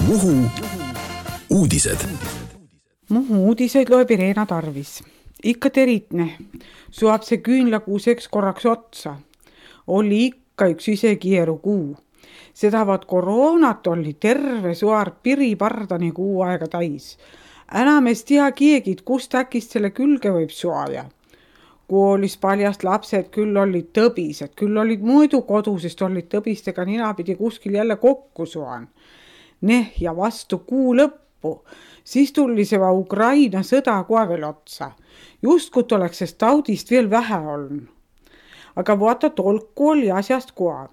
Muhu uudised. Muhu uudiseid loeb Irena Tarvis. Ikka teritne. Suab see küünlakuuseks korraks otsa. Oli ikka üks isekieru kuu. Sedavat koroonat oli terve suar piripardani kuu aega täis. Enam ei tea kiegid, kust äkist selle külge võib suaja. Koolis paljast lapsed küll olid tõbised, küll olid muidu kodusest olid tõbistega ninapidi kuskil jälle kokku suan. Ja vastu kuu lõppu, siis tuli see Ukraina sõda kohe veel otsa. Justkut oleks sest taudist veel vähe olnud. Aga vaata tolku oli asjast kohe.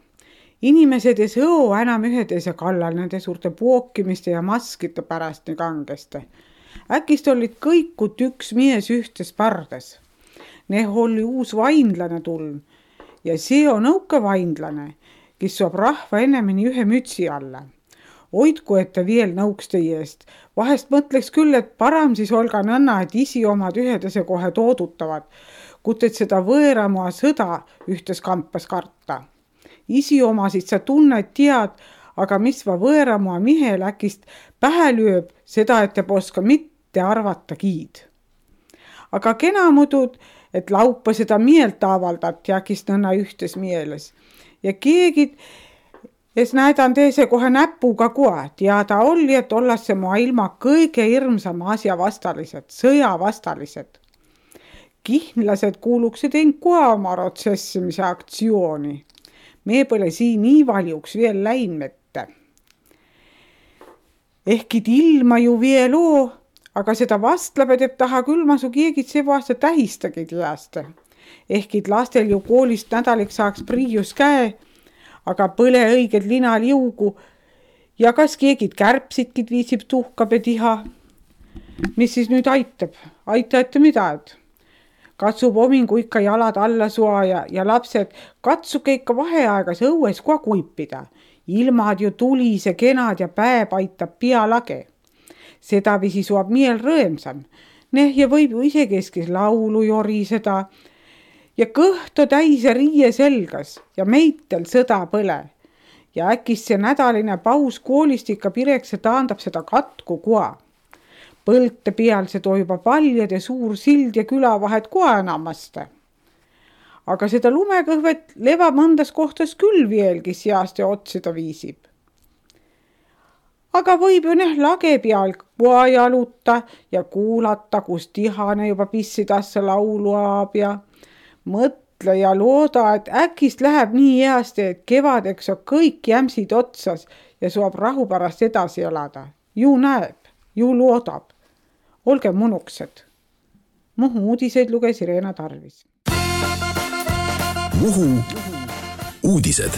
Inimesed ei sõo enam üheteise kallal nende suurte pookimiste ja maskite pärast nii kangeste. Äkist olid kõikut üks mies ühtes pardes. Oli uus vainlane tulnud ja see on õuke vainlane, kes saab rahva ennemini ühe mütsi alla. Hoidku, et ta veel nõuks teie eest. Vahest mõtleks küll, et param siis olga nõnna, et isi omad ühedese kohe toodutavad, kut et seda võõramaa sõda ühtes kampas karta. Isi omasid sa tunned, tead, aga mis va võõramaa mihel äkist pähe lööb, seda et te poska mitte arvata giid. Aga kena mudud, et laupa seda meelt avaldat ja äkist nõnna ühtes mieles. Ja keegid es näidan teise kohe näpuga kohe. Teada oli, et ollas see maailma kõige hirmsama asja vastalised, sõjavastalised. Kihnlased kuuluksid end kohe oma protsessimise aktsiooni. Me pole siin nii valjuks veel läinmette. Ehkid ilma ju veel oo, aga seda vastlabe teeb taha küll ma su keegid see aasta tähistagi teaste. Ehkid lastel ju koolist nädaliks saaks priius käe, aga põle õiged linal jõugu ja kas keegid kärpsidkid viisib tuhkabe tiha. Mis siis nüüd aitab? Aitate midagi? Katsub omingu ikka jalad alla suaja ja lapsed katsuke ikka vaheaegas õues kohe kuipida. Ilmad ju tulise, kenad ja päev aitab pea lage. Seda visi suab miel rõemsam. Ja võib ju ise keskis laulu joriseda ja kõhto täise riie selgas ja meitel sõda põle. Ja äkist see nädaline paus koolist ikka pirekse taandab seda katku koa. Põlte peal see toiba paljade suur sild ja külavahed koa enamaste. Aga seda lumekõhvet leva mõndas kohtas küll veelgi seast ja otsida viisib. Aga võib ju lage peal koa jaluta ja kuulata, kus tihane juba pissidassa laulu aab ja mõtle ja looda, et äkist läheb nii heasti, et kevadeks on kõik jämsid otsas ja suab rahu pärast edasi elada. Ju näeb, ju loodab. Olge munuksed. Muhu uudiseid luges Irena Tarvis. Muhu uudised.